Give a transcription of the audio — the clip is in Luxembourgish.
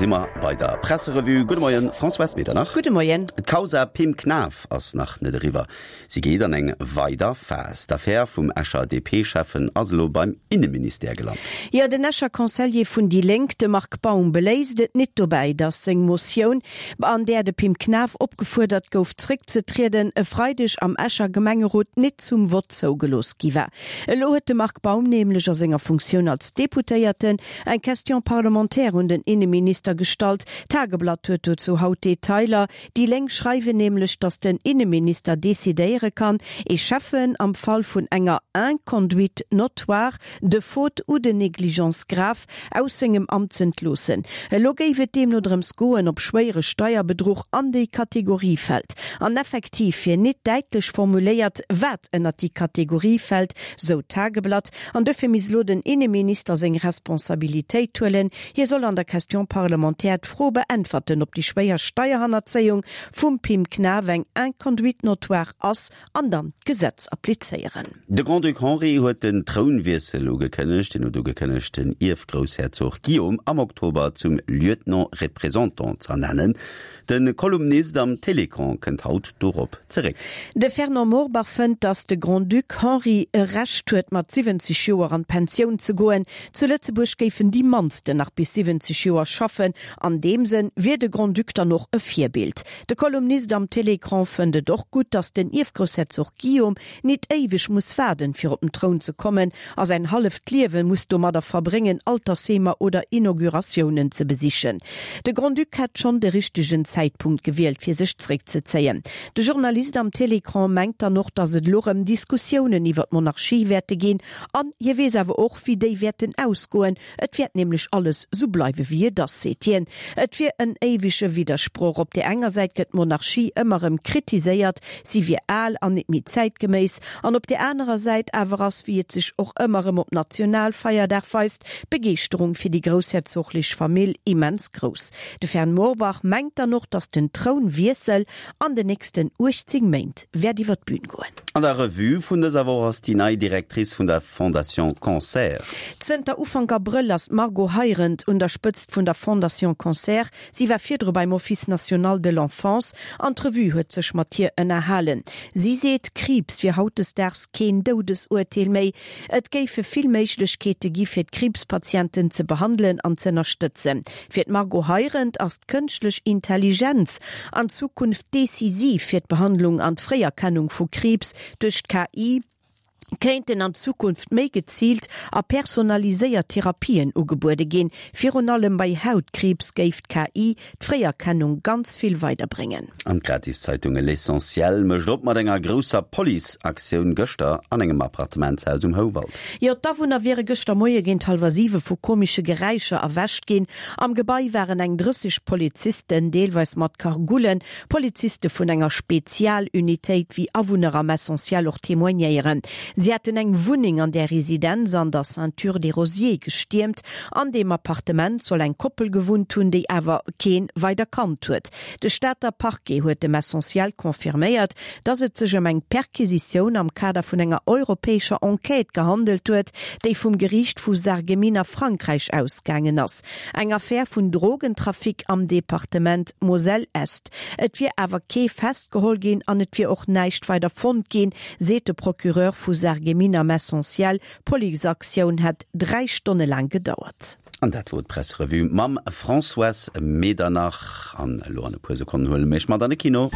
si mer bei der Presserevue. Gudde Moien, Françoise Medernach. Gudde Moien. D'Causa Pim Knaff ass nach net eriwwer. Si geet an eng weider Phas. D'Affär vum Escher DP-Schäffen ass elo beim Inneministère gelant. Jo, den Escher Conseiller vun déi Lénk, de Marc Baum, beléisst et nit dobäi, datt seng Motioun, an där de Pim Knaff opgefuerdert gouf zréckzetrieden, e Freideg am Escher Gemengerot nit zum Vott zougelooss gi war. Elo huet de Marc Baum nämlech a senger Funktioun als Deputéierten eng Question parlementaire un den Inneminister gestallt. D'Tageblatt huet dozou haut Detailer. Déi Lénk schreiwen nämlech, datt den Inneminister decidéiere kann, ee Schäffen am Fall vun enger Inconduite notoire, de faute ou de négligence grave aus sengem Amt z'entloossen. Elo géif et deemno drëms goen, ob schwéiere Steierbedruch an déi Kategorie fält. An effektiv wier nit däitlech formuléiert, wat ënnert déi Kategorie fält, sou d'Tageblatt. An dofir misst elo den Inneminister seng Responsabilitéit huelen. Hie soll an der Question parlementaire d'Fro beäntwerten, ob déi schwéier Steierhannerzéiung vum Pim Knaff eng Inconduite notoire ass an dann d'Gesetz applizéieren. De Grand-Duc Henri huet den Trounwiessel ugekënnegt. Hien huet ugekënnegt, den Ierfgroussherzog Guillaume am Oktober zum Lieutenant représentant z'ernennen. De Kolumnist am Télécran kënnt haut dorop zeréck. De Fernand Morbach fënnt, datt de Grand-Duc Henri e Recht huet, mat 70 Joer an d'Pensioun ze goen. Zu Lëtzebuerg géifen déi mannsten nach bis 70 Joer schaffen. An deem Sënn wier de Grand-Duc dann och e Virbild. De Kolumnist am Télécran fënnt et och gutt, datt den Ierfgroussherzog Guillaume nit éiweg muss waarden, fir op den Troun ze kommen a säin halleft Liewe muss domadder verbréngen, Altersheemer oder Inauguratiounen ze besichen. De Grand-Duc hätt schonn de richtegen Zäitpunkt gewielt, fir sech zréckzezéien. De Journalist am Télécran mengt dann och, datt et elo rëm Diskussiounen iwwer d'Monarchie wäerte ginn an hie weess awer och, wéi déi wäerten ausgoen, Et wäert nämlech alles sou bleiwe wéi et ass, seet hien. Et wier en éiwege Widdersproch. Op där enger Säit gëtt d'Monarchie ëmmer erëm kritiséiert, si wier al an nit méi zäitgeméiss. An op där anerer Säit awer ass, wéi et sech och ëmmer erëm op Nationalfeierdag weist, d'Begeeschterung fir déi groussherzoglech Famill immens grouss. De Fern Morbach mengt dann och, datt den Trounwiessel an den nächsten 18 Méint wäert iwwer d'Bün goen. An der Revue vun dëser Woch ass déi nei Directrice vun der Fondation Cancer. Zënter Ufank Abrëll ass d'Margot Heirendt un der Spëtzt vun der Fondation Cancer. Si war virdru beim Office national de l'enfance an d'Revue huet sech mat hir ënnerhalen. Si seet, Kriibs wier hautdesdaags keen Doudesurteel méi. Et géife vill Méiglechkeete gi fir d'Kriibspatienten ze behandelen an z'ënnerstëtzen. Fir d'Margot Heirendt ass d'kënschtlech Intelligenz an Zukunft decisiv fir d'Behandlung an d'Fréierkennung vu Kriibs. Duerch d'KI kéinten an Zukunft méi geziilt a personaliséiert Therapien ugebuede ginn. Virun allem bei Hautkriibs géif d'KI d'Fréierkennung ganz vill weiderbréngen. An d'Gratiszeitung L'Essentiel mécht op mat enger grousser Police-Aktioun gëschter an engem Appartementshaus um Houwald. Jo, d'Awunner wiere gëschter Moie géint hallwer siwe vu komesche Geräischer erwächt ginn. Am Gebai waren eng 30 Polizisten, deelweis mat Cargoulen, Poliziste vun enger Spezialunitéit, wéi Awunner am Essentiel och témoignéieren. Si hätten eng Wunneng an där Residenz an der Ceinture des Rosiers gestiermt. An deem Appartement soll eng Koppel gewunnt hunn, déi awer keen weider Kand huet. De Stater Parquet huet dem Essentiel confirméiert, datt et sech ëm eng Perquisitioun am Kader vun enger europäescher Enquête gehandelt huet, déi vum Geriicht vu Sarreguemines a Frankräich ausgaangen ass. Eng Affär vun Drogentrafic am Departement Moselle-Est. Et wier awer kee festgeholl ginn an et wier och näischt weider fonnt ginn, seet de Procureur vu Sarreguemines am Essentiel. D'Policeaktioun hätt 3 Stonne laang gedauert. An dat wor d'Presserevue mam Françoise Medernach. An elo an e puer Sekonnen huele mir iech mat an de Kino.